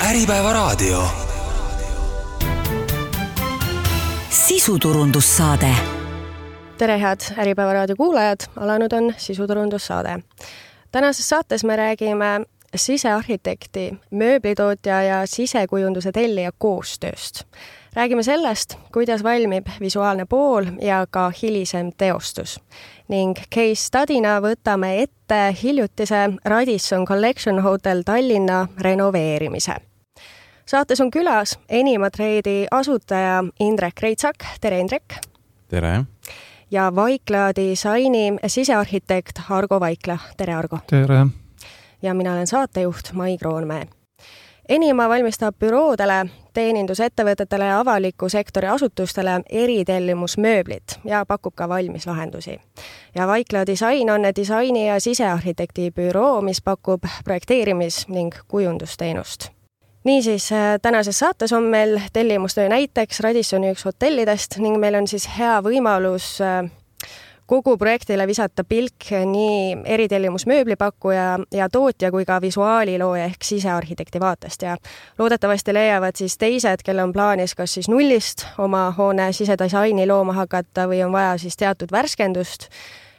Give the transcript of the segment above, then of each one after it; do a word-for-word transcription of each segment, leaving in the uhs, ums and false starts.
Äripäevaraadio. Sisuturundussaade. Tere head Äripäevaraadio kuulajad, alanud on sisuturundussaade. Tänases saates me räägime sisearhitekti, mööblitootja ja sisekujunduse tellija koostööst. Räägime sellest, kuidas valmib visuaalne pool ja ka hilisem teostus. Ning case studyna võtame ette hiljutise Radisson Collection Hotel Tallinna renoveerimise. Saates on külas Enima Trade'i asutaja Indrek Reitsak. Tere, Indrek! Tere! Ja Vaikla disaini sisearhitekt Argo Vaikla. Tere, Argo! Tere! Ja mina olen saatejuht Mai Kroonmäe. Enima valmistab büroodele, teenindusettevõtetele ja avaliku sektori asutustele eritellimusmööblit ja pakub ka valmis lahendusi. Ja Vaikla disain on disaini ja sisearhitekti büroo, mis pakub projekteerimis- ning kujundusteenust. Niisiis, tänases saates on meil tellimustöö näiteks Radissoni üks hotellidest ning meil on siis hea võimalus kogu projektile visata pilk nii eritellimusmööblipakkuja ja tootja kui ka visuaalilooja ehk sisearhitekti vaatest ja loodetavasti leiavad siis teised, kelle on plaanis kas siis nullist oma hoone sisedisaini looma hakata või on vaja siis teatud värskendust,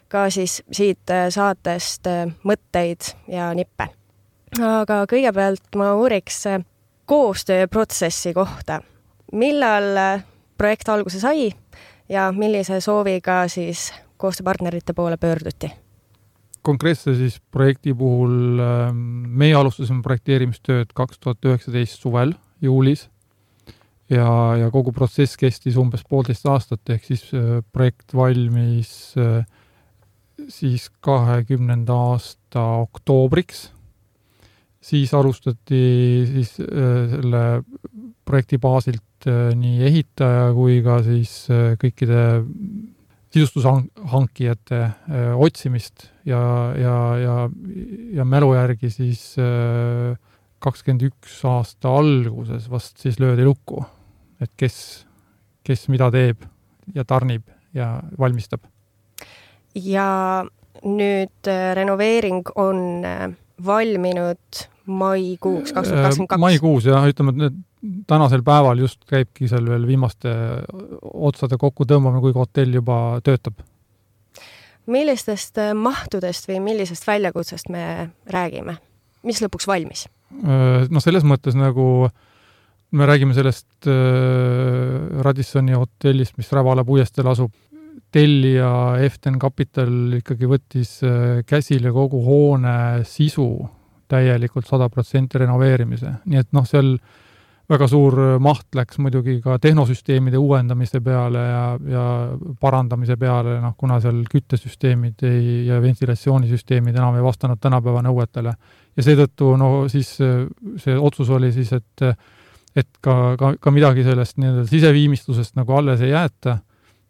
ka siis siit saatest mõtteid ja nippe. Aga kõigepealt ma uuriks koostööprotsessi kohta. Millal projekt alguse sai ja millise sooviga siis koostööpartnerite poole pöörduti? Konkreetse siis projekti puhul meie alustasime projekteerimistööd kaks tuhat üheksateist suvel, juulis ja, ja kogu protsess kestis umbes poolteist aastat, ehk siis projekt valmis siis kahekümnenda aasta oktoobriks. Siis alustati siis selle projekti baasilt nii ehitaja kui ka siis kõikide sisustushankijate otsimist ja, ja, ja, ja mälu järgi siis kakskümmend üks aasta alguses vast siis löödi lukku, et kes, kes mida teeb ja tarnib ja valmistab. Ja nüüd renoveering on valminud maikuuks kaks tuhat kakskümmend kaks. Maikuus ja ütleme, et tänasel päeval just käibki seal veel viimaste otsade kokku tõmbamine, kui hotell juba töötab. Millistest mahtudest või millisest väljakutsest me räägime? Mis lõpuks valmis? No selles mõttes nagu me räägime sellest Radissoni hotellist, mis Rävala puiesteel asub. Tellija F ten Capital ikkagi võttis käsile kogu hoone sisu täielikult sada protsenti renoveerimise. Nii et noh, seal väga suur maht läks muidugi ka tehnosüsteemide uuendamise peale ja, ja parandamise peale, noh, kuna seal küttesüsteemid ei, ja ventilatsioonisüsteemid enam ei vastanud tänapäeva nõuetele. Ja seetõttu no, siis see otsus oli siis, et, et ka, ka, ka midagi sellest nii-öelda siseviimistlusest nagu alles ei jäeta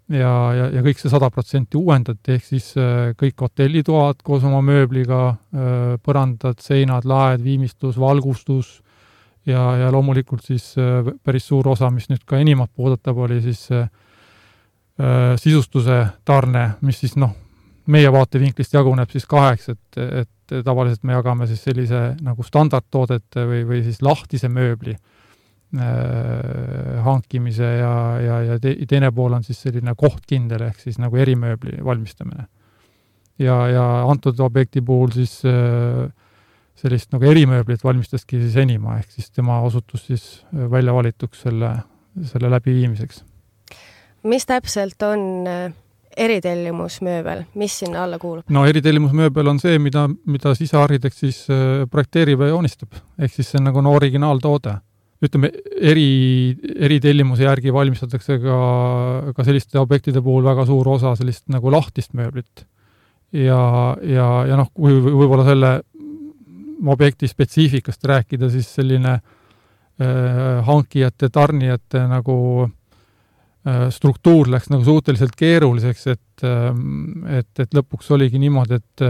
ja, ja, ja kõik see sada protsenti uuendati, ehk siis kõik hotellitoad koos oma mööbliga, põrandad, seinad, laed, viimistlus, valgustus ja, ja loomulikult siis päris suur osa, mis nüüd ka Enimat puudutab, oli siis äh, sisustuse tarne, mis siis noh, meie vaatevinklist jaguneb siis kaheks, et, et tavaliselt me jagame siis sellise nagu standardtoodete või, või siis lahtise mööbli hankimise ja, ja, ja teine pool on siis selline kohtkindel ehk siis nagu erimööbli valmistamine. Ja, ja antud objekti puhul siis sellist nagu erimööblit valmistaski siis Enima, ehk siis tema osutus siis välja valituks selle, selle läbiviimiseks. Mis täpselt on eritellimusmööbel? Mis sinna alla kuulub? No eritellimusmööbel on see, mida, mida sisearhitekt siis projekteerib ja joonistab. Ehk siis see on nagu no originaaltoode. Ütleme, eri, eritellimuse järgi valmistatakse ka, ka selliste objektide puhul väga suur osa sellist nagu lahtist mööblit. Ja, ja, ja noh, kui võib-olla selle objekti spetsiifikast rääkida, siis selline äh, hankijate, tarnijate nagu äh, struktuur läks nagu suhteliselt keeruliseks, et, äh, et, et lõpuks oligi niimoodi, et,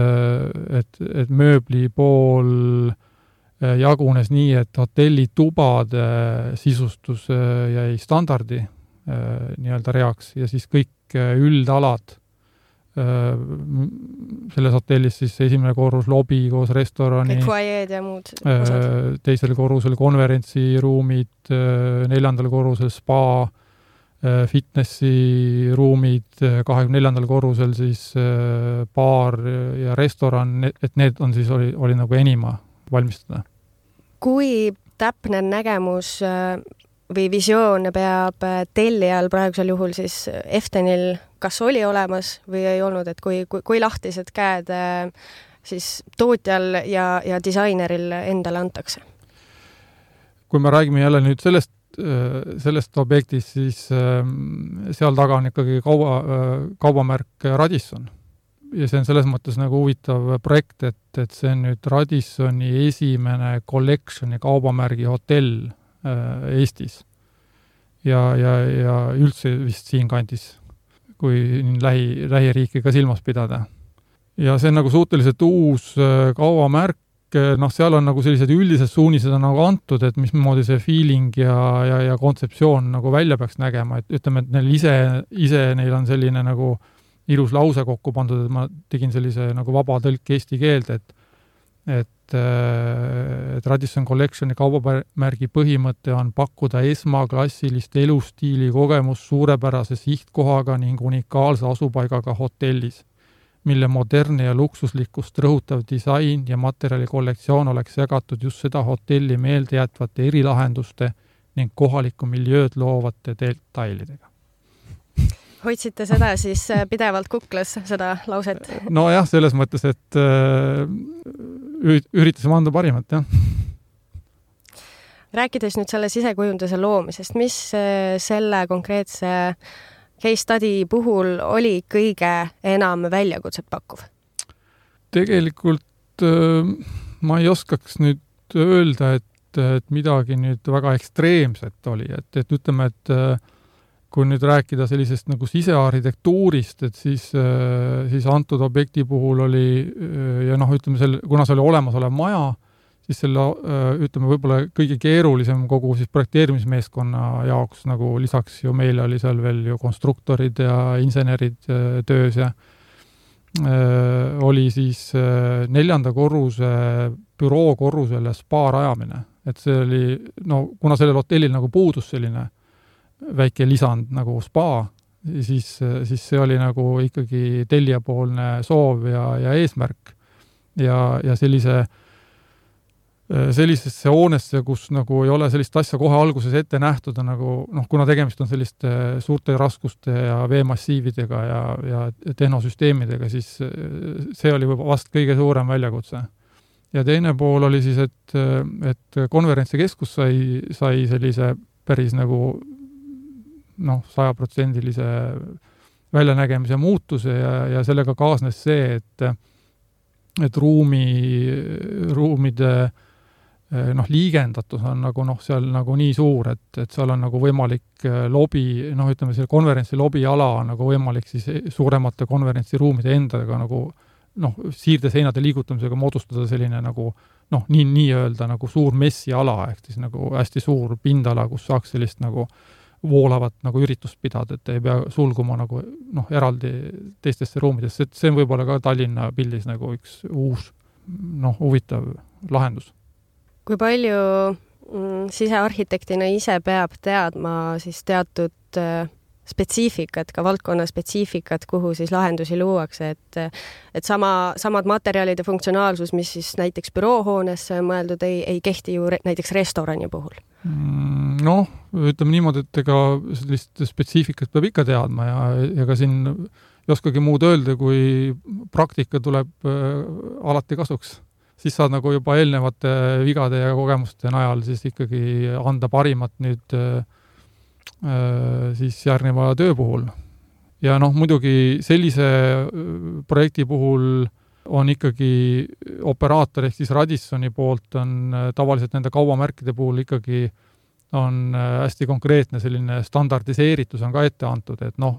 et, et mööbli pool jagunes nii, et hotellitubade sisustus jäi standardi nii-öelda reaks ja siis kõik üldalad selles hotellis siis esimene korrus lobi koos restorani, kõik foajeed ja muud osad. Teisel korrusel konverentsiruumid, neljandal korrusel spa, fitnessi ruumid, kahekümne neljandal korrusel siis baar ja restoran, et need on siis, oli, oli nagu enima valmistada. Kui täpne nägemus või visioon peab tellijal praegusel juhul siis Eftenil kas oli olemas või ei olnud, et kui, kui, kui lahtised käed siis tootjal ja, ja disaineril endale antakse? Kui me räägime jälle nüüd sellest sellest objektist, siis seal taga on ikkagi kauba, kaubamärk Radisson. Ja see on selles mõttes nagu huvitav projekt, et, et see on nüüd Radissoni esimene collectioni kaubamärgi hotell Eestis. Ja, ja, ja üldse vist siin kandis, kui lähi, lähiriiki ka silmas pidada. Ja see on nagu suhteliselt uus kaubamärk, noh, seal on nagu sellised üldised suunised on nagu antud, et mismoodi see feeling ja, ja, ja kontseptsioon nagu välja peaks nägema, et ütleme, et neil ise, ise neil on selline nagu ilus lause kokku pandud, et ma tegin sellise nagu vaba tõlk eesti keelde, et, et, et Radisson Collectioni kaubamärgi põhimõte on pakkuda esmaklassilist elustiili kogemus suurepärase sihtkohaga ning unikaalse asupaigaga hotellis, mille moderne ja luksuslikkust rõhutav disain ja materjali kollektsioon oleks jagatud just seda hotelli meeldejätvate erilahenduste ning kohalikku miljööd loovate detailidega. Hoidsite seda siis pidevalt kuklas, seda lauset? No jah, selles mõttes, et üritasime anda parimat, jah. Rääkides nüüd selle sisekujunduse loomisest, mis selle konkreetse case study puhul oli kõige enam väljakutset pakkuv? Tegelikult ma ei oskaks nüüd öelda, et, et midagi nüüd väga ekstreemset oli, et, et ütleme, et kui nüüd rääkida sellisest nagu sisearhitektuurist, et siis, siis antud objekti puhul oli, ja noh, ütleme, selle, kuna see oli olemasolev maja, siis selle, ütleme, võib-olla kõige keerulisem kogu siis projekteerimismeeskonna jaoks, nagu lisaks ju meile oli seal veel ju konstruktorid ja insenerid töös ja oli siis neljanda korruse büroo korrusele spa rajamine. Et see oli, no kuna sellel hotellil nagu puudus selline väike lisand nagu spa, siis, siis see oli nagu ikkagi tellijapoolne soov ja, ja eesmärk. Ja, ja sellise sellisesse hoonesse, kus nagu ei ole sellist asja kohe alguses ette nähtud, nagu, noh, kuna tegemist on selliste suurte raskuste ja veemassiividega ja, ja tehnosüsteemidega, siis see oli vast kõige suurem väljakutse. Ja teine pool oli siis, et, et konverentsikeskus sai, sai sellise päris nagu noh, sajaprotsendilise väljanägemise muutuse ja, ja sellega kaasnes see, et, et ruumi, ruumide noh, liigendatus on nagu noh, seal nagu nii suur, et, et seal on nagu võimalik lobi, noh, ütleme, selle konverentsi lobiala on nagu võimalik siis suuremate konverentsiruumide endaga nagu noh, siirdeseinade liigutamisega moodustada selline nagu noh, nii, nii öelda nagu suur messiala, ehk siis nagu hästi suur pindala, kus saaks sellist nagu voolavat nagu üritust pidada, et ei pea sulguma nagu noh, eraldi teistesse ruumidesse, et see on võib-olla ka Tallinna pildis nagu üks uus noh, huvitav lahendus. Kui palju mm, sisearhitektina ise peab teadma siis teatud äh, spetsiifikat, ka valdkonna spetsiifikat, kuhu siis lahendusi luuakse, et, et sama, samad materjalide funktsionaalsus, mis siis näiteks büroohoonesse mõeldud, ei, ei kehti ju re, näiteks restorani puhul? Noh, ütleme niimoodi, et ega sellist spetsiifikat peab ikka teadma ja, ja ka siin ei oskagi muud öelda, kui praktika tuleb äh, alati kasuks. Siis saad nagu juba eelnevate vigade ja kogemuste najal siis ikkagi anda parimat nüüd äh, siis järgneva töö puhul. Ja noh, muidugi sellise projekti puhul on ikkagi operaator ehk siis Radissoni poolt on tavaliselt nende kaubamärkide puhul ikkagi on hästi konkreetne selline standardiseeritus on ka ette antud, et noh,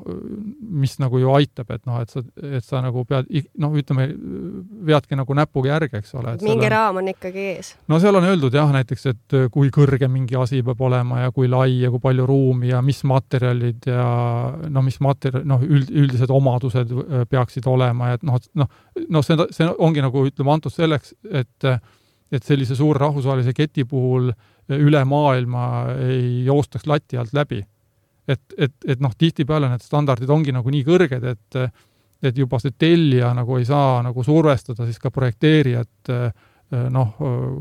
mis nagu ju aitab, et noh, et sa, et sa nagu pead, noh, ütleme, veadki nagu näpuga järge, eks ole. Mingi on, raam on ikkagi ees. No seal on öeldud jah, näiteks, et kui kõrge mingi asi peab olema ja kui lai ja kui palju ruumi ja mis materjalid ja no mis materjal, noh, üld, üldised omadused peaksid olema, et noh, noh, noh see, see ongi nagu, ütleme, antud selleks, et et sellise suure rahvusvahelise keti puhul üle maailma ei joostaks lati alt läbi. Et, et, et noh, tihtipeale need standardid ongi nagu nii kõrged, et, et juba see tellija nagu ei saa nagu survestada siis ka projekteerijat noh,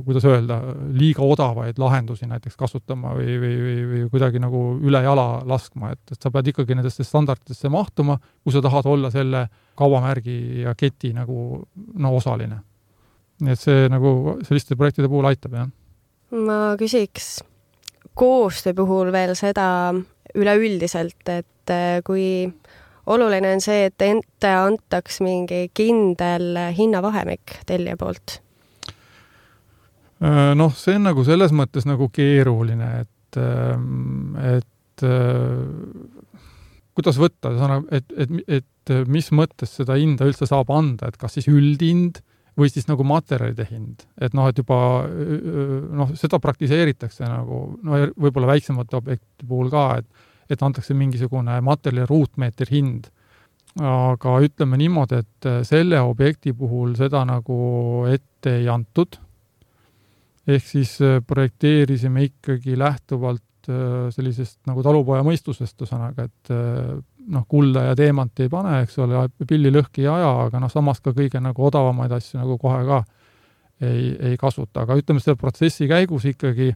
kuidas öelda, liiga odavaid lahendusi näiteks kasutama või, või, või, või kuidagi nagu üle jala laskma, et, et sa pead ikkagi nendesse standarditesse mahtuma, kui sa tahad olla selle kaubamärgi ja keti nagu no, osaline. Nii et see nagu selliste projektide puhul aitab, jah. Ma küsiks koostöö puhul veel seda üleüldiselt, et kui oluline on see, et ente antaks mingi kindel hinnavahemik tellija poolt? Noh, see on nagu selles mõttes nagu keeruline, et, et kuidas võtta, et, et, et mis mõttes seda hinda üldse saab anda, et kas siis üldhind või siis nagu materjalide hind, et noh, et juba noh, seda praktiseeritakse nagu, no võib-olla väiksemate objekti puhul ka, et, et antakse mingisugune materjali ruutmeeter hind. Aga ütleme niimoodi, et selle objekti puhul seda nagu ette ei antud. Ehk siis projekteerisime ikkagi lähtuvalt sellisest nagu talupoja mõistusest, ühesõnaga, et noh, kulda ja teemanti ei pane, eks ole, pilli lõhki ei aja, aga noh, samas ka kõige nagu odavamaid asju nagu kohe ka ei, ei kasuta. Aga ütleme, selle protsessi käigus ikkagi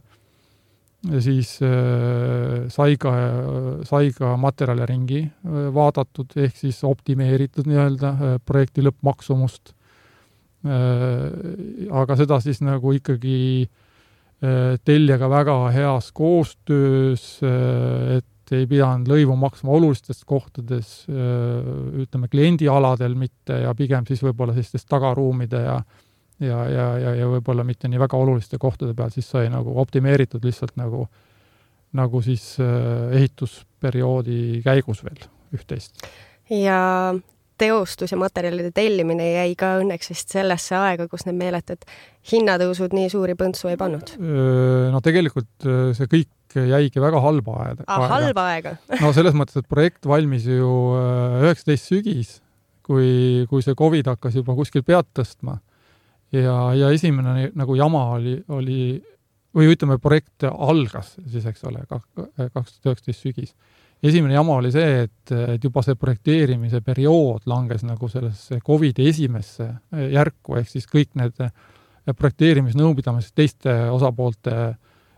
siis äh, sai ka, sai ka materjali ringi äh, vaadatud, ehk siis optimeeritud nii-öelda äh, projekti lõppmaksumust. Äh, aga seda siis nagu ikkagi äh, teljaga väga heas koostöös, äh, et ei pidanud lõivu maksma olulistes kohtades, ütleme, kliendialadel mitte ja pigem siis võib-olla sellistest tagaruumide ja, ja, ja, ja, ja võib-olla mitte nii väga oluliste kohtade peal, siis sai nagu optimeeritud lihtsalt nagu, nagu siis ehitusperioodi käigus veel üht-teist. Ja teostus ja materjalide tellimine jäi ka õnneks vist sellesse aega, kus need meeletud hinnatõusud nii suuri põntsu ei pannud? No tegelikult see kõik jäigi väga halba aega. Ah, halba aega? No selles mõttes, et projekt valmis ju üheksateist sügis, kui, kui see COVID hakkas juba kuskil pead tõstma. Ja, ja esimene nagu jama oli, oli, või ütleme, projekt algas siis, eks ole, kaks tuhat üheksateist sügis. Esimene jama oli see, et, et juba see projekteerimise periood langes nagu sellesse COVID esimesse järku, ehk siis kõik need projekteerimisnõupidamised teiste osapoolte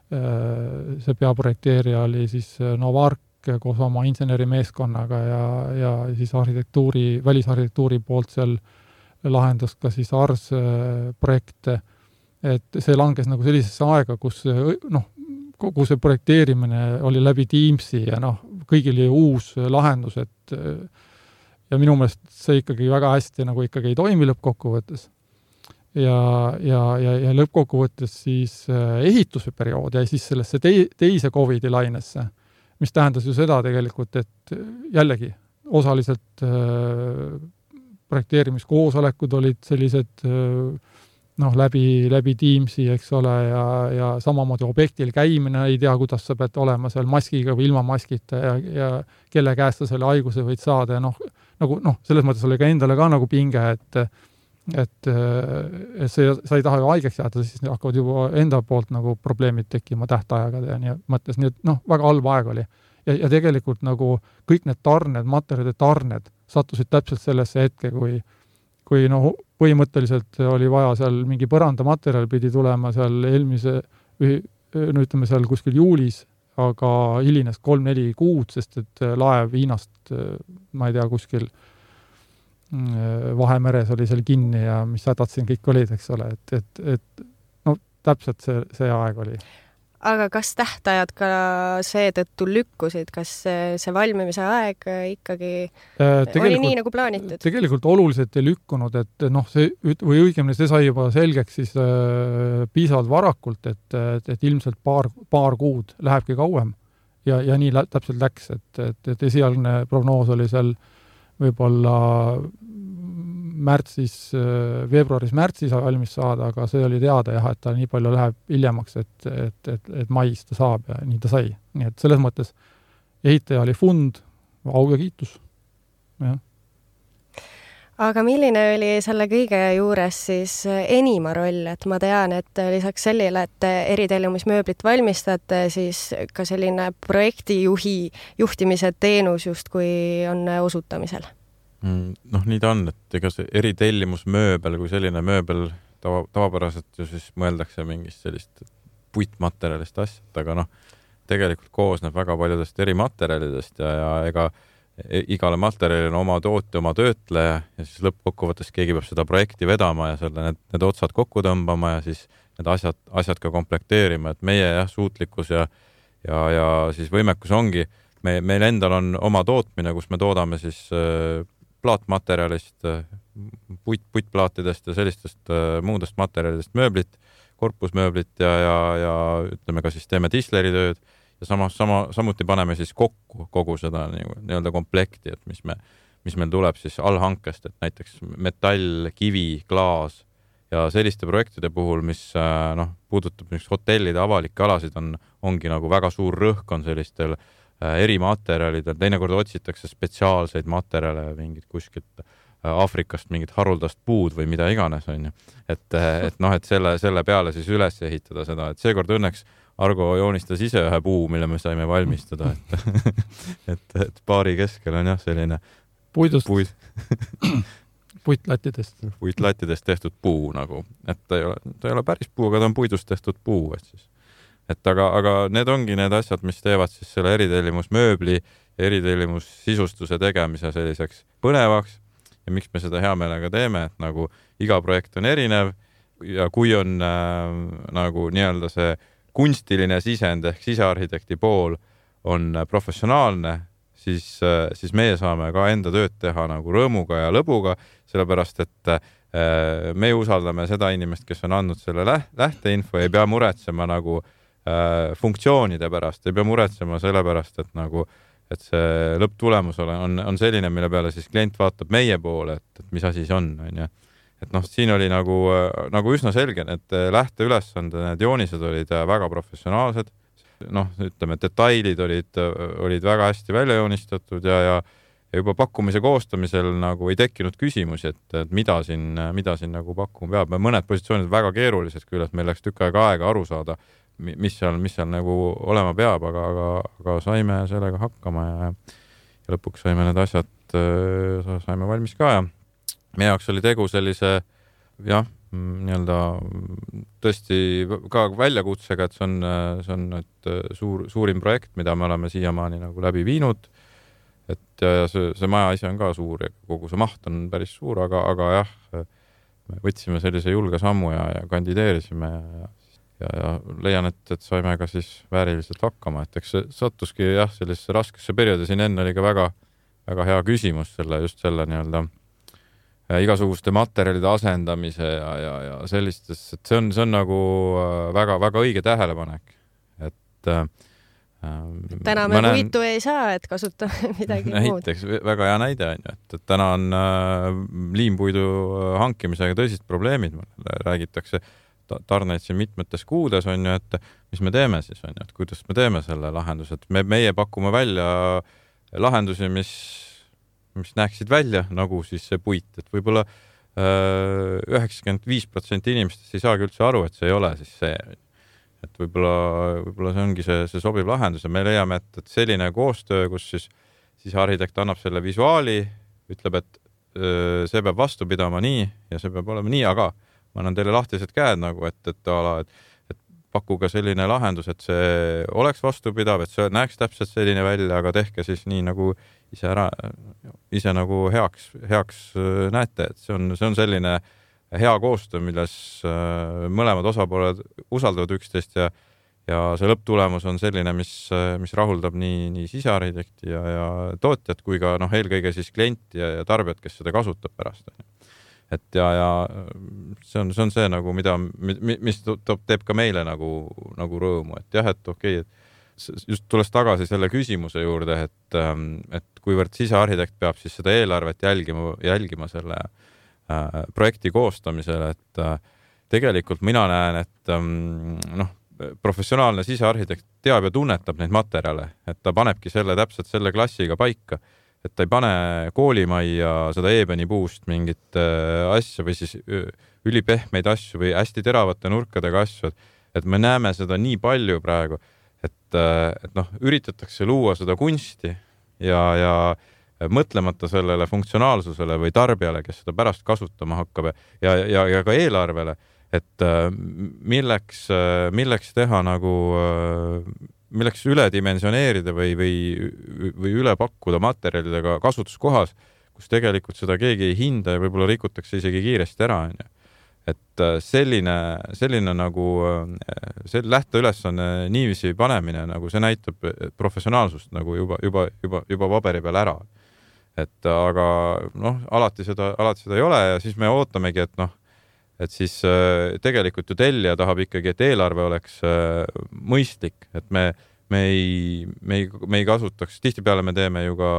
see peaprojekteerija oli siis Novark koos oma insenerimeeskonnaga ja, ja siis arhitektuuri, välisarhitektuuri poolt seal lahendas ka siis Ars projekte, et see langes nagu sellisesse aega, kus noh, kogu see projekteerimine oli läbi Teamsi ja noh, kõigil oli uus lahendus, et ja minu meelest see ikkagi väga hästi nagu ikkagi ei toimi lõppkokkuvõttes. Ja, ja, ja, ja lõppkokkuvõttes siis ehituse periood jäi siis sellesse teise COVID-i lainesse, mis tähendas ju seda tegelikult, et jällegi osaliselt äh, projekteerimiskoosolekud olid sellised äh, noh, läbi, läbi Teamsi, eks ole, ja, ja samamoodi objektil käimine, ei tea, kuidas sa pead olema seal maskiga või ilma maskita ja, ja kelle käest sa selle haiguse võid saada ja noh, nagu, noh, selles mõttes oli ka endale ka nagu pinge, et et, et see, sa ei taha ju haigeks jääda, siis hakkavad juba enda poolt nagu probleemid tekkima tähtajaga ja nii mõttes, nii et noh, väga halb aeg oli. Ja, ja tegelikult nagu kõik need tarned, materjalide tarned sattusid täpselt sellesse hetke, kui, kui noh, põhimõtteliselt oli vaja seal mingi põrandamaterjal pidi tulema seal eelmise, no ütleme seal kuskil juulis, aga hilines kolm-neli kuud, sest et laev Hiinast, ma ei tea, kuskil Vahemeres oli seal kinni ja mis hädad siin kõik olid, eks ole, et, et, et no täpselt see, see aeg oli. aga kas tähtajad ka seetõttu lükkusid, kas see valmimise aeg ikkagi oli nii nagu plaanitud? Tegelikult oluliselt ei lükkunud, et noh, see, või õigemini see sai juba selgeks siis äh, piisavalt varakult, et, et, et ilmselt paar, paar kuud lähebki kauem ja, ja nii lä- täpselt läks, et, et, et esialgne prognoos oli seal võib-olla märtsis, veebruaris-märtsis valmis saada, aga see oli teada jah, et ta nii palju läheb hiljemaks, et, et, et, et mais ta saab ja nii ta sai. Nii et selles mõttes ehitaja oli fund, au ja kiitus. Ja. Aga milline oli selle kõige juures siis Enima roll, et ma tean, et lisaks sellele, et eritellimusmööblit valmistate, siis ka selline projektijuhi juhtimise teenus justkui on osutamisel? Noh, nii ta on, et ega see eritellimusmööbel kui selline mööbel tava, tavapäraselt ju siis mõeldakse mingist sellist puitmaterjalist asjad, aga noh, tegelikult koosneb väga paljudest eri materjalidest ja, ja ega igale materjalil on oma tootja, oma töötleja ja siis lõppkokkuvõttes keegi peab seda projekti vedama ja selle, need, need otsad kokku tõmbama ja siis need asjad, asjad ka komplekteerima, et meie jah, suutlikkus ja, ja, ja siis võimekus ongi, me, meil endal on oma tootmine, kus me toodame siis äh, plaatmaterjalist, puit, puitplaatidest ja sellistest äh, muudest materjalidest mööblit, korpusmööblit ja, ja, ja ütleme ka siis teeme disleritööd ja sama, sama, samuti paneme siis kokku kogu seda nii-öelda komplekti, et mis, me, mis meil tuleb siis allhankest, et näiteks metall, kivi, klaas ja selliste projektide puhul, mis äh, noh, puudutab hotellide avalikke alasid, on, ongi nagu väga suur rõhk on sellistel erimaterjalidel, teinekord otsitakse spetsiaalseid materjale, mingid kuskilt Aafrikast mingit haruldast puud või mida iganes on ju. Et, et noh, et selle, selle peale siis üles ehitada seda, et seekord õnneks Argo joonistas ise ühe puu, mille me saime valmistada, et, et, et baari keskel on jah selline puidust, puid, puitlattidest. puitlattidest tehtud puu nagu, et ta ei ole, ta ei ole päris puu, aga ta on puidust tehtud puu, et siis et aga, aga need ongi need asjad, mis teevad siis selle eritellimusmööbli ja eritellimussisustuse tegemise selliseks põnevaks ja miks me seda hea meelega teeme, et nagu iga projekt on erinev ja kui on äh, nagu nii-öelda see kunstiline sisend ehk sisearhitekti pool on professionaalne, siis, äh, siis meie saame ka enda tööd teha nagu rõõmuga ja lõbuga, sellepärast et äh, me usaldame seda inimest, kes on andnud selle läht- lähteinfo, ei pea muretsema nagu funktsioonide pärast, ei pea muretsema selle pärast, et nagu, et see lõpptulemus on, on selline, mille peale siis klient vaatab meie poole, et, et mis asi see on, on ju. Et noh, siin oli nagu, nagu üsna selge, et lähteülesande, need joonised olid väga professionaalsed, noh, ütleme, detailid olid, olid väga hästi välja joonistatud ja, ja ja juba pakkumise koostamisel nagu ei tekkinud küsimusi, et, et mida siin, mida siin nagu pakkuma peab. Mõned positsioonid väga keerulised küll, et meil läks tükk aega aega aru saada, mis seal, mis seal nagu olema peab, aga, aga, aga saime sellega hakkama ja, ja lõpuks saime need asjad, saime valmis ka ja meie jaoks oli tegu sellise, jah, nii-öelda tõesti ka väljakutsega, et see on, see on et suur, suurim projekt, mida me oleme siiamaani nagu läbi viinud. Et ja, ja see, see maja ise on ka suur ja kogu see maht on päris suur, aga, aga jah, me võtsime sellise julge sammu ja, ja kandideerisime ja, ja, ja leian, et, et saime ka siis vääriliselt hakkama, et eks see sattuski jah, sellisesse raskesse perioodi, siin enne oli ka väga, väga hea küsimus selle, just selle nii-öelda igasuguste materjalide asendamise ja, ja, ja sellistes, et see on, see on nagu väga, väga õige tähelepanek, et täna me näen... puitu ei saa, et kasutame midagi muud. Näiteks väga hea näide on ju, et, et täna on äh, liimpuidu hankimisega tõsist probleemid, räägitakse tarneid siin mitmetes kuudes on ju, et mis me teeme siis on ju, et kuidas me teeme selle lahenduse, et me, meie pakume välja lahendusi, mis, mis näeksid välja nagu siis see puit, et võib-olla äh, üheksakümmend viis protsenti inimestest ei saagi üldse aru, et see ei ole siis see et võib-olla, võib-olla see ongi see, see sobiv lahendus ja me leiame, et, et selline koostöö, kus siis, siis arhitekt annab selle visuaali, ütleb, et öö, see peab vastu pidama nii ja see peab olema nii, aga ma annan teile lahtised käed nagu, et, et, ala, et, et pakkuge selline lahendus, et see oleks vastupidav, et see näeks täpselt selline välja, aga tehke siis nii nagu ise ära, ise nagu heaks, heaks näete, et see on, see on selline hea koostöö, milles mõlemad osapooled usaldavad üksteist ja, ja see lõpptulemus on selline, mis, mis rahuldab nii, nii sisearhitekti ja, ja tootjat kui ka noh, eelkõige siis klienti ja, ja tarbijat, kes seda kasutab pärast. Et ja, ja see on, see on see nagu, mida, mis toob, teeb ka meile nagu, nagu rõõmu, et jah, et okei, et just tulles tagasi selle küsimuse juurde, et, et kuivõrd sisearhitekt peab siis seda eelarvet jälgima, jälgima selle äh, projekti koostamisel, et äh, tegelikult mina näen, et ähm, noh, professionaalne sisearhitekt teab ja tunnetab neid materjale, et ta panebki selle täpselt selle klassiga paika, et ta ei pane koolimajja seda eebeni puust mingit äh, asja või siis ülipehmeid asju või hästi teravate nurkadega asju, et me näeme seda nii palju praegu, et, äh, et noh, üritatakse luua seda kunsti ja, ja mõtlemata sellele funktsionaalsusele või tarbijale, kes seda pärast kasutama hakkab ja, ja, ja ka eelarvele, et milleks, milleks teha nagu, milleks üledimensioneerida või, või, või üle pakkuda materjalidega kasutuskohas, kus tegelikult seda keegi ei hinda ja võib-olla rikutakse isegi kiiresti ära. Et selline, selline nagu see lähteülesanne niiviisi panemine, nagu see näitab professionaalsust nagu juba, juba, juba, juba paberi peal ära. Et aga noh, alati seda, alati seda ei ole ja siis me ootamegi, et noh, et siis tegelikult ju tellija tahab ikkagi, et eelarve oleks mõistlik, et me, me, ei, me, ei, me ei kasutaks, tihtipeale me teeme ju ka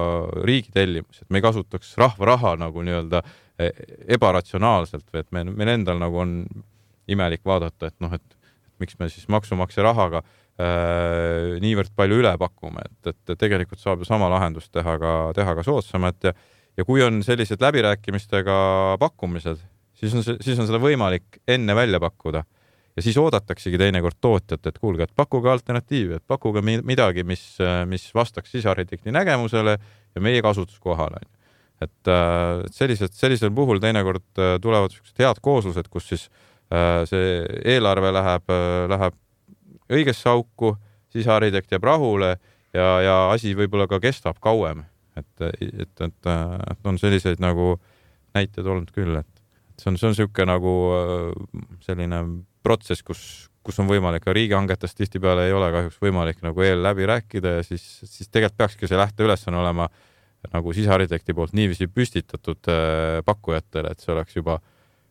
riigi tellimus, et me ei kasutaks rahva raha nagu nii-öelda ebaratsionaalselt või et me, meil endal nagu on imelik vaadata, et noh, et, et miks me siis maksumaksja rahaga äh, niivõrd palju üle pakume, et, et tegelikult saab ju sama lahendust teha ka, teha ka soodsamat ja, ja kui on sellised läbirääkimistega pakkumised, siis on, siis on seda võimalik enne välja pakkuda ja siis oodataksegi teinekord tootjat, et kuulge, et pakkuge alternatiivi, et pakkuge midagi, mis, mis vastaks sisearhitekti nägemusele ja meie kasutuskohale. Et sellised, sellisel puhul teinekord tulevad head kooslused, kus siis see eelarve läheb, läheb õigesse auku, sisearhitekt jääb rahule ja, ja asi võib-olla ka kestab kauem. Et, et, et, et on selliseid nagu näiteid olnud küll, et see on, see on siuke nagu selline protsess, kus, kus on võimalik ka riigihangetest tihtipeale ei ole kahjuks võimalik nagu eel läbi rääkida ja siis, siis tegelikult peakski see lähteülesanne olema nagu sisearhitekti poolt niiviisi püstitatud pakkujatele, et see oleks juba,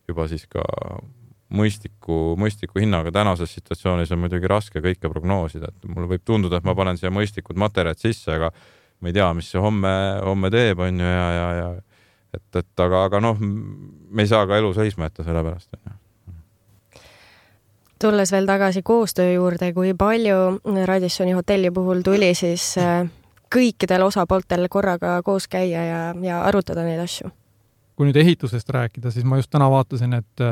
juba siis ka mõistliku, mõistliku hinnaga. Tänases situatsioonis on muidugi raske kõike prognoosida, et mulle võib tunduda, et ma panen siia mõistlikud materjalid sisse, aga ma ei tea, mis see homme, homme teeb, on ju, ja, ja, ja et, et aga, aga noh, me ei saa ka elu seisma jätta selle pärast. Tulles veel tagasi koostöö juurde, kui palju Radissoni hotelli puhul tuli siis kõikidel osapooltel korraga koos käia ja, ja arutada neid asju? Kui nüüd ehitusest rääkida, siis ma just täna vaatasin, et,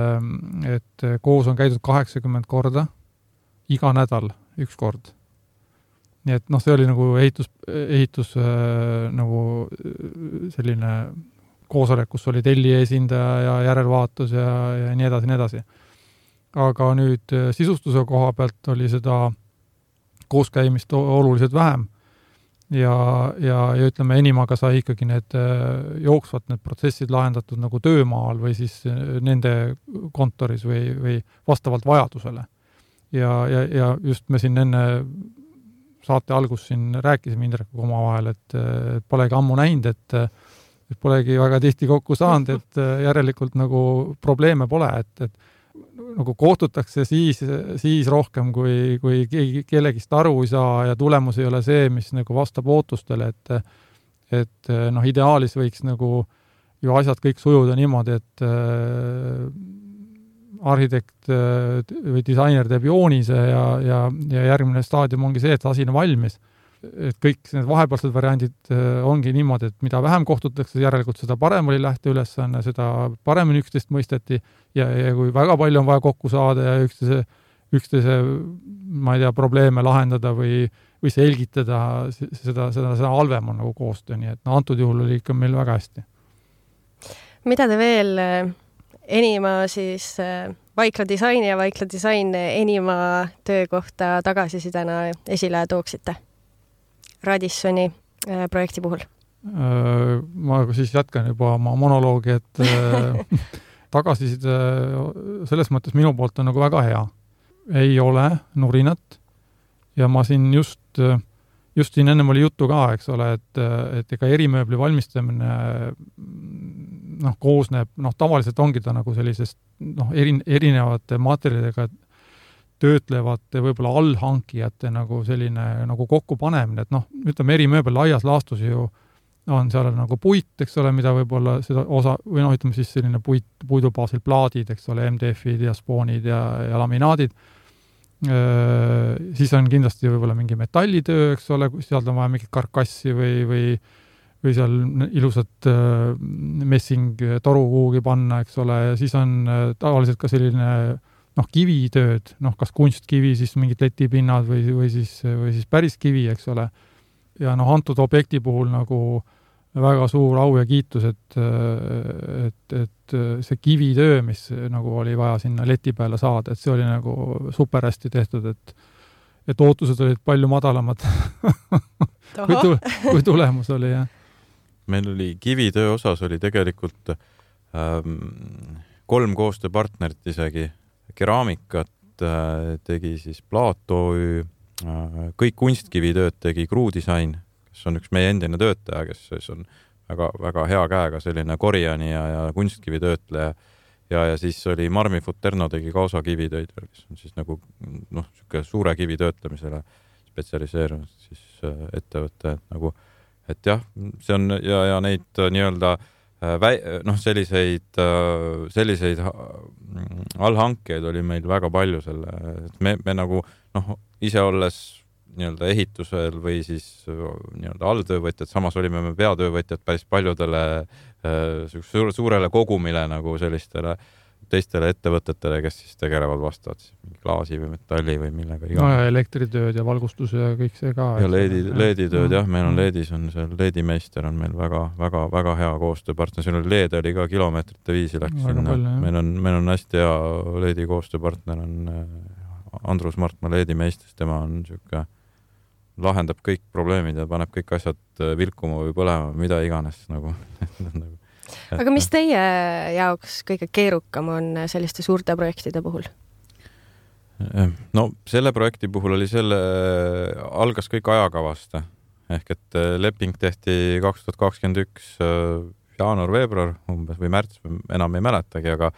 et koos on käidud kaheksakümmend korda, iga nädal üks kord. Nii et noh, see oli nagu ehitus, ehitus nagu selline koosolek, kus oli tellija esindaja ja järelvaatus ja, ja nii edasi, nii edasi. Aga nüüd sisustuse koha pealt oli seda kooskäimist oluliselt vähem. Ja, ja, ja ütleme, enimaga sai ikkagi need jooksvad need protsessid lahendatud nagu töömaal või siis nende kontoris või, või vastavalt vajadusele. Ja, ja, ja just me siin enne saate algus siin rääkisime Indrekuga omavahel, et, et polegi ammu näinud, et, et polegi väga tihti kokku saanud, et järelikult nagu probleeme pole, et, et nagu kohtutakse siis, siis rohkem, kui, kui keegi kellegist aru ei saa ja tulemus ei ole see, mis nagu vastab ootustele, et, et noh, ideaalis võiks nagu ju asjad kõik sujuda niimoodi, et äh, arhitekt äh, või disainer teeb joonise ja, ja, ja järgmine staadium ongi see, et asi on valmis. Et kõik need vahepealsed variandid äh, ongi niimoodi, et mida vähem kohtutakse, järelikult seda parem oli lähteülesanne, seda paremini üksteist mõisteti ja, ja kui väga palju on vaja kokku saada ja üksteise, üksteise ma ei tea, probleeme lahendada või, või selgitada, seda, seda, seda halvem on nagu koostöö, nii et no, antud juhul oli ikka meil väga hästi. Mida te veel enima siis Vaikla disaini ja Vaikla disain enima töökohta tagasisidena esile tooksite Radissoni projekti puhul? Ma siis jätkan juba oma monoloogi, et tagasiside selles mõttes minu poolt on nagu väga hea. Ei ole nurinat, ja ma siin just, just siin ennem oli juttu ka, eks ole, et, et ega erimööbli valmistamine noh, koosneb, noh, tavaliselt ongi ta nagu sellisest noh, eri, erinevate materjalidega töötlevate võib-olla allhankijate nagu selline nagu kokkupanemine, et noh, ütleme erimööbel laias laastus ju on seal nagu puit, eks ole, mida võib-olla seda osa, või noh, ütleme siis selline puit, puidu baasil plaadid, eks ole, M D F-id ja spoonid ja, ja laminaadid. Siis on kindlasti võib-olla mingi metallitöö, eks ole, sealt on vaja mingit karkassi või, või, või seal ilusat messing toru kuhugi panna, eks ole, ja siis on tavaliselt ka selline noh, kivitööd, noh, kas kunstkivi, siis mingid letipinnad või, või siis, või siis päris kivi, eks ole. Ja noh, antud objekti puhul nagu väga suur au ja kiitus, et, et, et see kivitöö, mis nagu oli vaja sinna leti peale saada, et see oli nagu super hästi tehtud, et, et ootused olid palju madalamad kui, tule, kui tulemus oli, jah. Meil oli kivitöö osas oli tegelikult ähm, kolm koostööpartnerit isegi, keraamikat tegi siis Plaat O Ü, kõik kunstkivitööd tegi Crew Design, kes on üks meie endine töötaja, kes on väga, väga hea käega selline Koreani ja, ja kunstkivitöötleja ja, ja siis oli Marmi Futerno tegi ka osa kivitöid, kes on siis nagu noh, suure kivi töötlemisele spetsialiseerunud siis ettevõte, et nagu, et jah, see on ja, ja neid nii-öelda Väi, noh, selliseid, selliseid allhankeid oli meil väga palju selle, et me, me nagu noh, ise olles nii-öelda ehitusel või siis nii-öelda alltöövõtjad, samas olime me peatöövõtjad päris paljudele suure, suurele kogumile nagu sellistele teistele ettevõtetele, kes siis tegelevad vastavalt mingi klaasi või metalli või millega iga. No ja elektritööd ja valgustus ja kõik see ka. Ja leedi, leeditööd, jah, meil on leedis on seal leedimeister on meil väga, väga, väga hea koostööpartner. Siin oli leed oli ka kilomeetrite viisi läks sinna. Meil on, meil on hästi hea leedi koostööpartner on Andrus Martma leedimeister, tema on niisugune lahendab kõik probleemid ja paneb kõik asjad vilkuma või põlema, mida iganes nagu. Aga mis teie jaoks kõige keerukam on selliste suurte projektide puhul? No selle projekti puhul oli selle, algas kõik ajakavast. Ehk et leping tehti kaks tuhat kakskümmend üks jaanuar-veebruar umbes või märts, enam ei mäletagi, aga,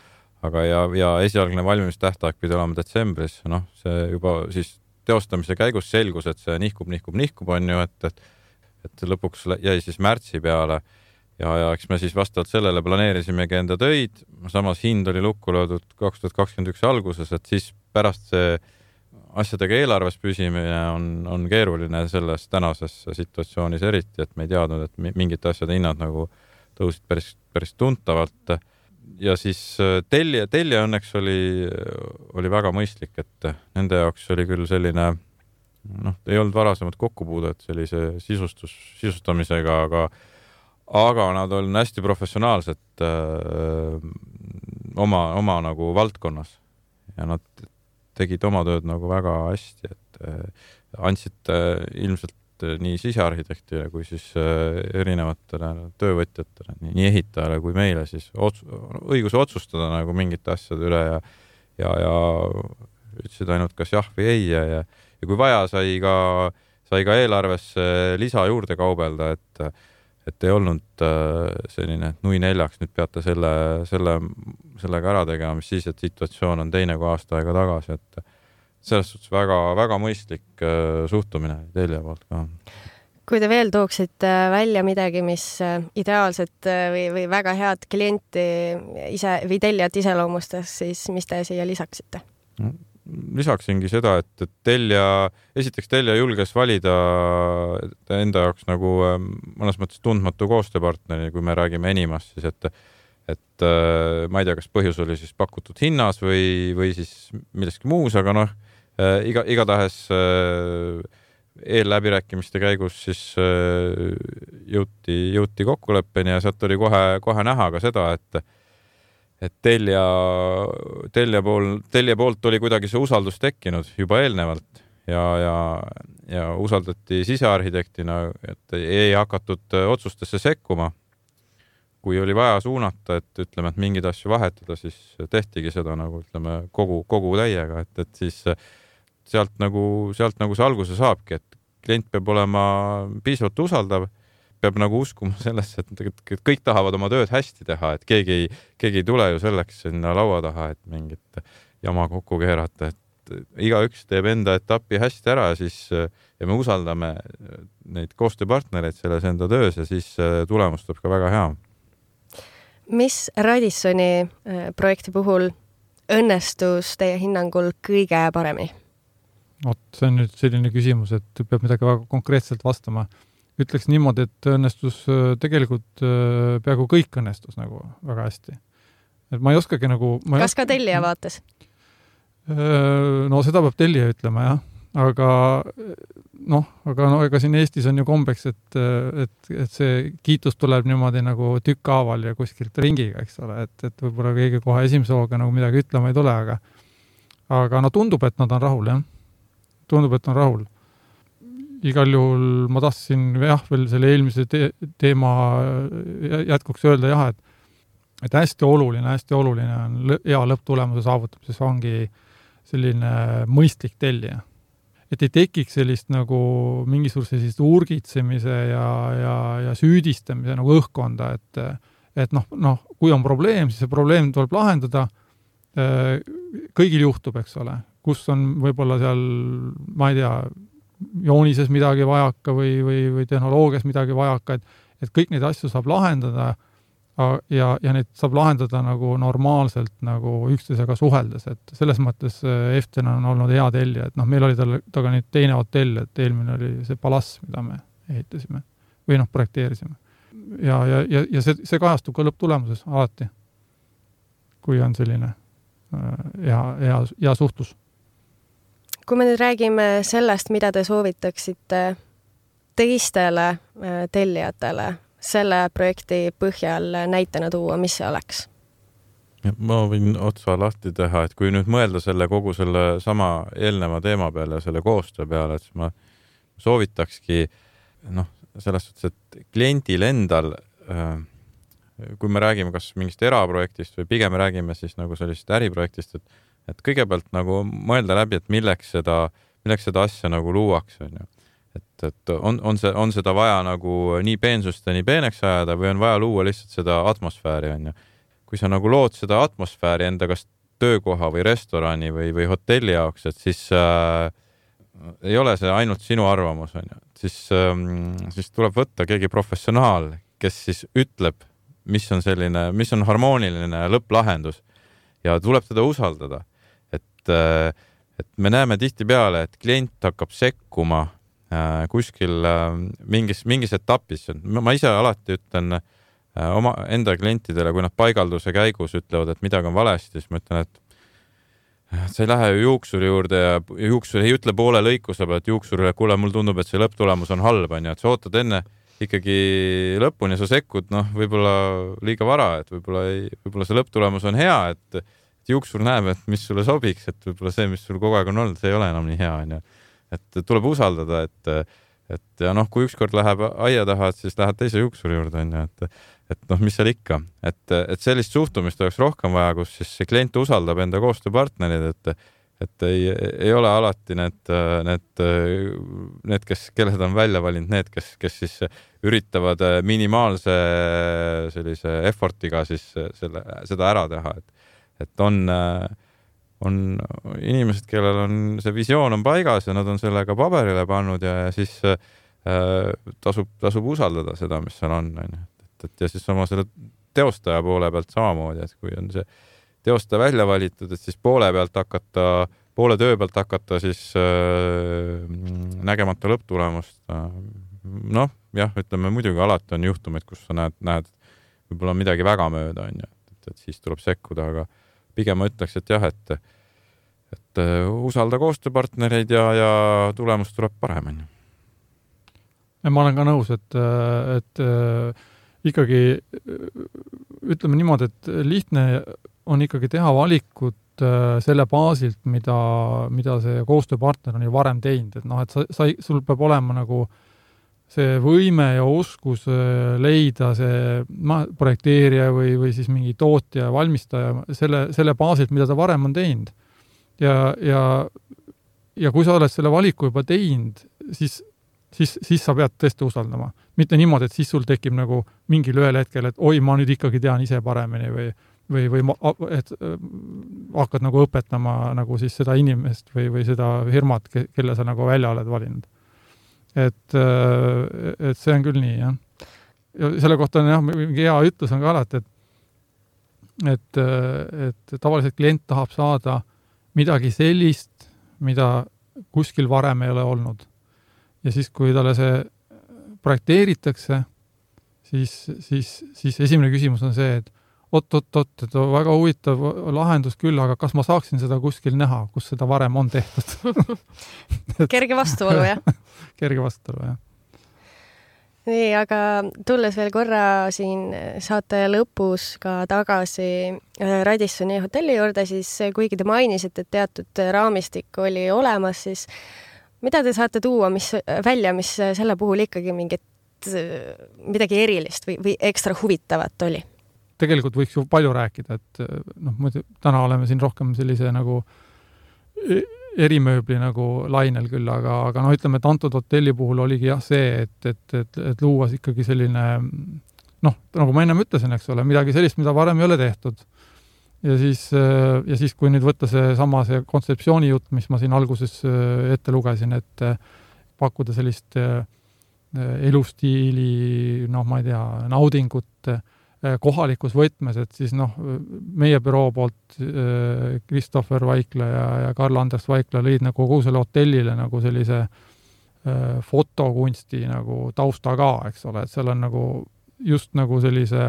aga ja, ja esialgne valmimistähtaeg pidi olema detsembris. Noh, see juba siis teostamise käigus selgus, et see nihkub, nihkub, nihkub on ju, et, et, et lõpuks jäi siis märtsi peale. Ja, ja eks me siis vastavalt sellele planeerisimegi enda töid, samas hind oli lukku löödud kaks tuhat kakskümmend üks alguses, et siis pärast see asjadega eelarves püsimine on, on keeruline selles tänases situatsioonis eriti, et me ei teadnud, et mingite asjade hinnad nagu tõusid päris, päris tuntavalt. Ja siis tellija, tellija õnneks oli, oli väga mõistlik, et nende jaoks oli küll selline, noh, ei olnud varasemad kokkupuudet sellise sisustus, sisustamisega, aga aga nad on hästi professionaalsed öö, oma, oma nagu valdkonnas ja nad tegid oma tööd nagu väga hästi, et öö, andsid öö, ilmselt öö, nii sisearhitektile kui siis öö, erinevatele töövõtjatele, nii, nii ehitajale kui meile siis ots, õiguse otsustada nagu mingite asjade üle ja, ja, ja ütlesid ainult kas jah või ei ja, ja, ja kui vaja, sai ka, sai ka eelarvesse lisa juurde kaubelda, et et ei olnud selline, et nui neljaks nüüd peate selle, selle, sellega ära tegema, mis siis, et situatsioon on teine kui aasta aega tagasi, et selles suhtes väga, väga mõistlik suhtumine telja poolt ka. Kui te veel tooksite välja midagi, mis ideaalset või, või väga head klienti ise või teljat iseloomustas, siis mis te siia lisaksite? Lisaksingi seda, et telja, esiteks telja julges valida enda jaoks nagu mõnes mõttes tundmatu koostööpartneri, kui me räägime Enimast, siis et, et ma ei tea, kas põhjus oli siis pakutud hinnas või, või siis milleski muus, aga noh, iga, igatahes eelläbirääkimiste käigus siis jõuti, jõuti kokkuleppeni ja sealt oli kohe, kohe näha ka seda, et et telja, telja pool, telja poolt oli kuidagi see usaldus tekkinud juba eelnevalt ja, ja, ja usaldati sisearhitektina, et ei hakatud otsustesse sekkuma. Kui oli vaja suunata, et ütleme, et mingid asju vahetada, siis tehtigi seda nagu ütleme kogu, kogu täiega, et, et siis sealt nagu, sealt nagu see alguse saabki, et klient peab olema piisavalt usaldav, peab nagu uskuma sellesse, et kõik tahavad oma tööd hästi teha, et keegi ei, keegi ei tule ju selleks sinna laua taha, et mingit jama kokku keerata, et igaüks teeb enda etapi hästi ära ja siis ja me usaldame neid koostööpartnereid selles enda töös ja siis tulemus tuleb ka väga hea. Mis Radissoni projekti puhul õnnestus teie hinnangul kõige paremini? Oot, see on nüüd selline küsimus, et peab midagi väga konkreetselt vastama. Ütleks niimoodi, et õnnestus tegelikult peaaegu kõik õnnestus nagu väga hästi. Et ma ei oskagi nagu... Ma Kas ka tellija vaates? No seda peab tellija ütlema, jah. Aga noh, aga no, ega siin Eestis on ju kombeks, et, et, et see kiitus tuleb niimoodi nagu tükkaaval ja kuskilt ringiga, eks ole, et, et võib-olla keegi kohe esimese hooga nagu midagi ütlema ei tule, aga, aga no tundub, et nad on rahul, jah. Tundub, et on rahul. Igal juhul ma tahtsin jah, veel selle eelmise te- teema jätkuks öelda jah, et, et hästi oluline, hästi oluline on lõ- hea lõpptulemuse saavutamises ongi selline mõistlik tellija. Et ei tekiks sellist nagu mingisuguse sellist urgitsemise ja, ja, ja süüdistamise nagu õhkkonda, et, et noh, noh, kui on probleem, siis see probleem tuleb lahendada. Kõigil juhtub, eks ole, kus on võib-olla seal, ma ei tea, joonises midagi vajaka või, või, või tehnoloogias midagi vajaka, et, et kõik neid asju saab lahendada ja, ja neid saab lahendada nagu normaalselt nagu üksteisega suheldes, et selles mõttes Eften on olnud hea tellija, et noh, meil oli tal, taga nüüd teine hotell, et eelmine oli see Palass, mida me ehitasime või noh, projekteerisime. Ja, ja, ja, ja see, see kajastub ka lõpptulemuses alati, kui on selline hea, hea, hea suhtlus. Kui me nüüd räägime sellest, mida te soovitaksite teistele tellijatele, selle projekti põhjal näitena tuua, mis see oleks? Ma võin otsa lahti teha, et kui nüüd mõelda selle kogu selle sama eelneva teema peale ja selle koostöö peale, et ma soovitakski noh, selles suhtes, et kliendil endal, kui me räägime kas mingist eraprojektist või pigem me räägime siis nagu sellist äriprojektist, et, et kõigepealt nagu mõelda läbi, et milleks seda, milleks seda asja nagu luuakse, on ju. Et, et on, on, see, on seda vaja nagu nii peensust ja nii peeneks ajada või on vaja luua lihtsalt seda atmosfääri, on ju. Kui sa nagu lood seda atmosfääri enda kas töökoha või restorani või, või hotelli jaoks, et siis äh, ei ole see ainult sinu arvamus, on ju. Siis, äh, siis tuleb võtta keegi professionaal, kes siis ütleb, mis on selline, mis on harmooniline lõpplahendus ja tuleb teda usaldada. Et, äh, et me näeme tihti peale, et klient hakkab sekkuma kuskil mingis, mingis etapis. Ma ise alati ütlen oma enda klientidele, kui nad paigalduse käigus ütlevad, et midagi on valesti, siis ma ütlen, et sa ei lähe ju juuksuri juurde ja juuksur ei ütle poole lõikuse pealt juuksurile, kuule, mul tundub, et see lõpptulemus on halb, on ju, et sa ootad enne ikkagi lõpuni ja sa sekkud, noh, võib-olla liiga vara, et võib-olla, ei, võib-olla see lõpptulemus on hea, et, et juuksur näeb, et mis sulle sobiks, et võib-olla see, mis sul kogu aeg on olnud, see ei ole enam nii hea, on ju. Et tuleb usaldada, et, et ja noh, kui ükskord läheb aia taha, et siis lähed teise juuksuri juurde, on ju, et, et noh, mis seal ikka, et, et sellist suhtumist oleks rohkem vaja, kus siis see klient usaldab enda koostööpartnerid, et, et ei, ei ole alati need, need, need, kes, kelled on välja valinud, need, kes, kes siis üritavad minimaalse sellise effortiga siis selle, seda ära teha, et, et on on inimesed, kellel on see visioon on paigas ja nad on sellega paberile pannud ja siis äh, tasub, tasub usaldada seda, mis seal on. Et, et ja siis oma selle teostaja poole pealt samamoodi, et kui on see teostaja välja valitud, et siis poole pealt hakata, poole töö pealt hakata siis äh, nägemata lõpptulemust. Noh, jah, ütleme muidugi alati on juhtumid, kus sa näed, näed võib-olla midagi väga mööda, on ju, et, et siis tuleb sekkuda, aga pigem ma ütleks, et jah, et, et usalda koostööpartnereid ja, ja tulemus tuleb parem. Ma olen ka nõus, et, et ikkagi ütleme niimoodi, et lihtne on ikkagi teha valikut selle baasilt, mida, mida see koostööpartner on ju varem teinud. Et noh, et sa, sa, sul peab olema nagu see võime ja oskus leida see ma, projekteerija või, või siis mingi tootja, valmistaja selle, selle baasilt, mida ta varem on teinud. Ja, ja, ja kui sa oled selle valiku juba teinud, siis, siis, siis sa pead tõesti usaldama. Mitte niimoodi, et siis sul tekib nagu mingil ühel hetkel, et oi, ma nüüd ikkagi tean ise paremini või, või, või ma, et hakkad nagu õpetama nagu siis seda inimest või, või seda firmat, kelle sa nagu välja oled valinud. Et, et see on küll nii, jah. Ja selle kohta on jah, mingi hea ütlus on ka alati, et et, et tavaliselt klient tahab saada midagi sellist, mida kuskil varem ei ole olnud. Ja siis, kui talle see projekteeritakse, siis, siis, siis esimene küsimus on see, et oot, oot, oot, et on väga huvitav lahendus küll, aga kas ma saaksin seda kuskil näha, kus seda varem on tehtud? Kerge vastuolu, jah? Kerge vastuolu, jah. Nii, aga tulles veel korra siin saate lõpus ka tagasi Radissoni hotelli juurde, siis kuigi te mainisite, et teatud raamistik oli olemas, siis mida te saate tuua mis, välja, mis selle puhul ikkagi mingit, midagi erilist või, või ekstra huvitavat oli? Tegelikult võiks ju palju rääkida, et noh, muidu täna oleme siin rohkem sellise nagu erimööbli nagu lainel küll, aga, aga no ütleme, et antud hotelli puhul oligi jah see, et, et, et, et luua ikkagi selline, noh, nagu ma ennem ütlesin, eks ole, midagi sellist, mida varem ei ole tehtud. Ja siis, ja siis kui nüüd võtta see sama see kontseptsiooni jutt, mis ma siin alguses ette lugesin, et pakkuda sellist elustiili, noh, ma ei tea, naudingut kohalikus võtmes, et siis noh, meie büroo poolt Kristoffer Vaikla ja, ja Karl-Anders Vaikla lõid nagu kogu selle hotellile nagu sellise fotokunsti nagu tausta ka, eks ole, et seal on nagu just nagu sellise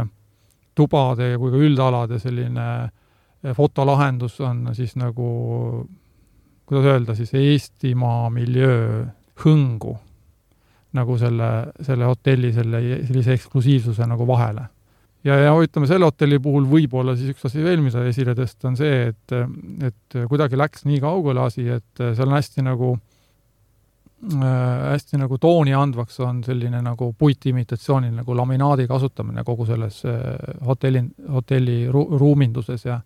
tubade kui ka üldalade selline fotolahendus on siis nagu, kuidas öelda, siis Eestimaa miljöö hõngu nagu selle, selle hotelli selle, sellise eksklusiivsuse nagu vahele. Ja, ja ütleme, selle hotelli puhul võib-olla siis üks asi veel, mida esile tõsta on see, et, et kuidagi läks nii kaugele asi, et seal on hästi nagu hästi nagu tooni andvaks on selline nagu puitimitatsioonil nagu laminaadi kasutamine kogu selles hotelli, hotelli ru, ruuminduses ja,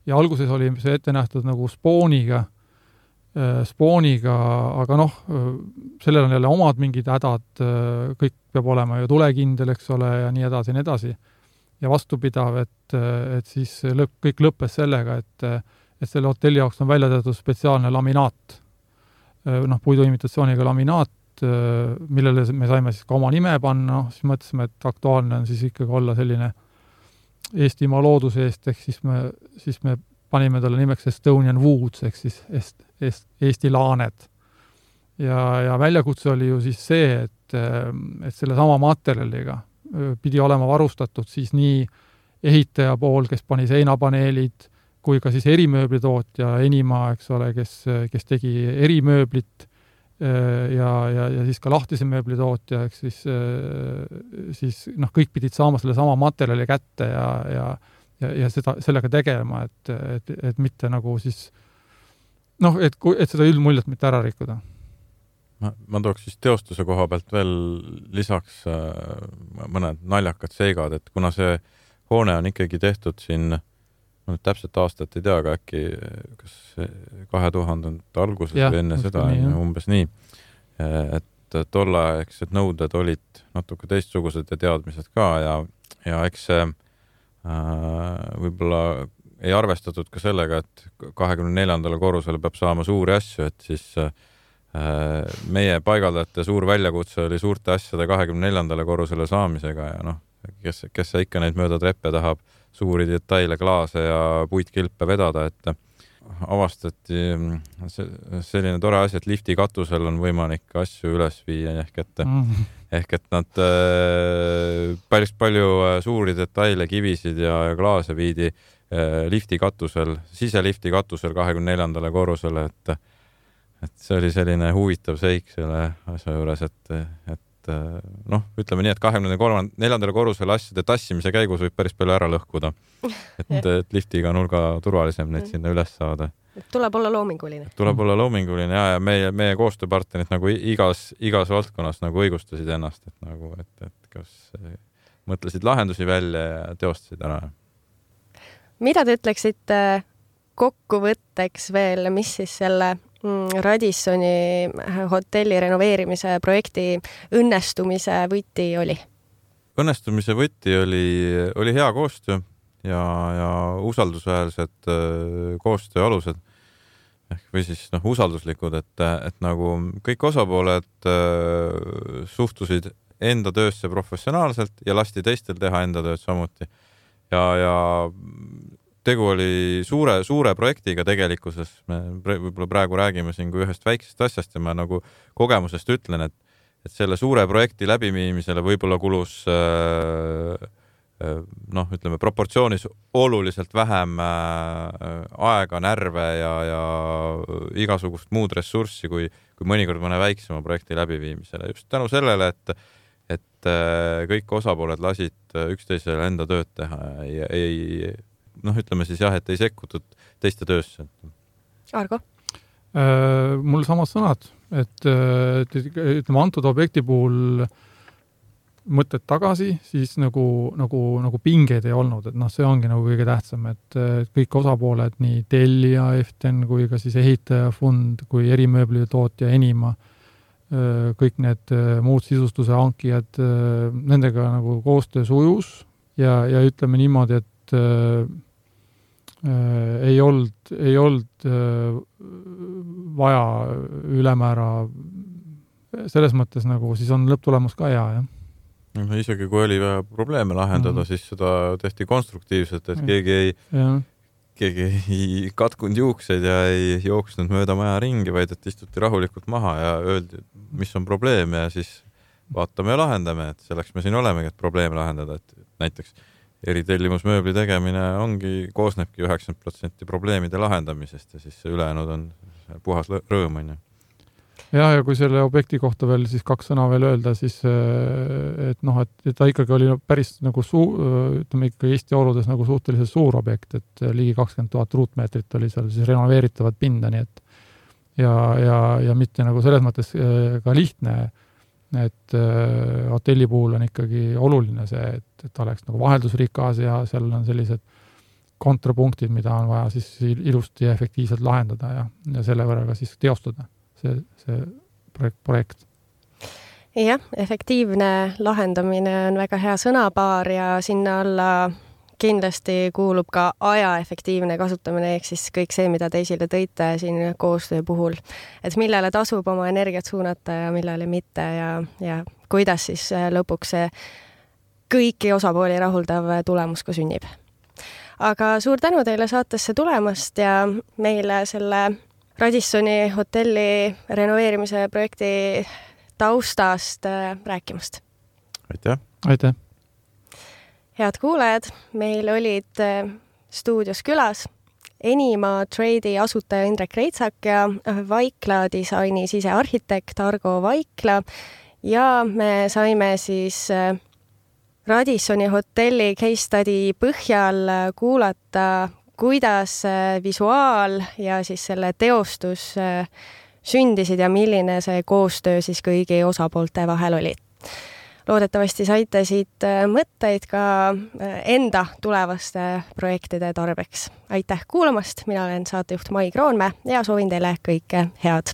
ja alguses oli see ette nähtud nagu spooniga, spooniga, aga noh, sellel on jälle omad mingid hädad, kõik peab olema ju tulekindel, eks ole, ja nii edasi, nii edasi. Ja vastupidav, et, et siis lõpp, kõik lõppes sellega, et, et selle hotelli jaoks on välja tehtud spetsiaalne laminaat, noh, puiduimitatsiooniga laminaat, millele me saime siis ka oma nime panna, siis mõtlesime, et aktuaalne on siis ikkagi olla selline Eestimaa looduse eest, ehk siis me, siis me panime talle nimeks Estonian Woods, ehk siis est, est, Eesti laaned. Ja, ja väljakutse oli ju siis see, et, et selle sama materjaliga pidi olema varustatud siis nii ehitaja pool, kes pani seinapaneelid, kui ka siis erimööblitootja Enima, eks ole, kes, kes tegi erimööblit ja, ja, ja siis ka lahtise mööblitootja, eks siis, siis noh, kõik pidid saama selle sama materjali kätte ja, ja, ja, ja seda, sellega tegema, et, et, et mitte nagu siis noh, et, et seda üldmuljet mitte ära rikkuda. Ma, ma tooks siis teostuse koha pealt veel lisaks äh, mõned naljakad seigad, et kuna see hoone on ikkagi tehtud siin, no täpselt aastat ei tea, aga äkki kas kahe tuhandete alguses ja, või enne seda, nii, umbes nii, et tollaegsed nõuded olid natuke teistsugused ja teadmised ka ja, ja eks see äh, võib-olla ei arvestatud ka sellega, et kahekümne neljandale korrusele peab saama suuri asju, et siis äh, meie paigaldajate suur väljakutse oli suurte asjade kahekümne neljandale korrusele saamisega ja noh, kes, kes ikka neid mööda treppe tahab suuri detaile, klaase ja puitkilpe vedada, et avastati selline tore asi, et lifti katusel on võimalik asju üles viia, ehk et, mm. ehk et nad päris palju suuri detaile, kivisid ja klaase viidi lifti katusel, siselifti katusel kahekümne neljandale korrusele, et et see oli selline huvitav seik selle asja juures, et, et noh, ütleme nii, et kahekümne neljandale korrusele asjade tassimise käigus võib päris palju ära lõhkuda. Et, et liftiga on hulga turvalisem neid sinna üles saada. Tuleb olla loominguline. Tuleb olla loominguline ja, ja meie, meie koostööpartnerid nagu igas, igas valdkonnas nagu õigustasid ennast, et nagu, et, et kas mõtlesid lahendusi välja ja teostasid ära. Mida te ütleksite kokkuvõtteks veel, mis siis selle Radissoni hotelli renoveerimise projekti õnnestumise võti oli? Õnnestumise võti oli, oli hea koostöö ja, ja usaldusväärsed koostöö alused ehk või siis noh, usalduslikud, et, et nagu kõik osapooled suhtusid enda töösse professionaalselt ja lasti teistel teha enda tööd samuti. Ja, ja tegu oli suure, suure projektiga tegelikkuses. Me võib-olla praegu räägime siin kui ühest väiksest asjast ja ma nagu kogemusest ütlen, et, et selle suure projekti läbiviimisele võib-olla kulus noh, ütleme proportsioonis oluliselt vähem aega, närve ja, ja igasugust muud ressurssi kui, kui mõnikord mõne väiksema projekti läbiviimisele. Just tänu sellele, et, et kõik osapooled lasid üksteisele enda tööd teha ja ei, noh, ütleme siis jah, et ei sekkutud teiste töösse. Argo? Mul samad sõnad, et ütleme antud objekti puhul mõtted tagasi, siis nagu, nagu, nagu pingeid ei olnud, et noh, see ongi nagu kõige tähtsam, et kõik osapooled, nii tellija, Eften kui ka siis ehitajafond, kui erimööbli tootja Enima, kõik need muud sisustuse hankijad, nendega nagu koostöö sujus ja, ja ütleme niimoodi, et äh, ei olnud, ei olnud äh, vaja ülemäära selles mõttes nagu siis on lõpptulemus ka hea, jah. No, isegi kui oli vaja probleeme lahendada, mm. siis seda tehti konstruktiivselt, et keegi ei, keegi ei katkunud juukseid ja ei jooksnud mööda maja ringi, vaid et istuti rahulikult maha ja öeldi, mis on probleem ja siis vaatame ja lahendame, et selleks me siin olemegi, et probleeme lahendada, et näiteks eritellimusmööbli tegemine ongi, koosnebki üheksakümmend protsenti probleemide lahendamisest ja siis see ülejäänud on puhas rõõm, on ju. Ja, ja kui selle objekti kohta veel siis kaks sõna veel öelda, siis et noh, et ta ikkagi oli päris nagu suu, ütleme ikka Eesti oludes nagu suhteliselt suur objekt, et ligi kakskümmend tuhat ruutmeetrit oli seal siis renoveeritavat pinda, nii et ja, ja, ja mitte nagu selles mõttes ka lihtne, et hotelli puhul on ikkagi oluline see, et, et oleks nagu vaheldusrikas ja seal on sellised kontrapunktid, mida on vaja siis ilusti ja efektiivselt lahendada ja, ja selle võrra ka siis teostada. See, see projekt, projekt. Jah, efektiivne lahendamine on väga hea sõnapaar ja sinna alla kindlasti kuulub ka aja efektiivne kasutamine, ehk siis kõik see, mida te esile tõite siin koostöö puhul. Et millele tasub oma energiat suunata ja millele mitte ja, ja kuidas siis lõpuks see kõiki osapooli rahuldav tulemus ka sünnib. Aga suur tänu teile saatesse tulemast ja meile selle Radissoni hotelli renoveerimise projekti taustast rääkimast. Aitäh! Aitäh! Head kuulajad, meil olid stuudios külas Enima Trade'i asutaja Indrek Reitsak ja Vaikla disaini sisearhitekt Argo Vaikla ja me saime siis Radissoni hotelli case study põhjal kuulata kuidas visuaal ja siis selle teostus sündisid ja milline see koostöö siis kõigi osapoolte vahel oli. Loodetavasti saite siit mõtteid ka enda tulevaste projektide tarbeks. Aitäh kuulamast, mina olen saatejuht Mai Kroonmäe ja soovin teile kõike head.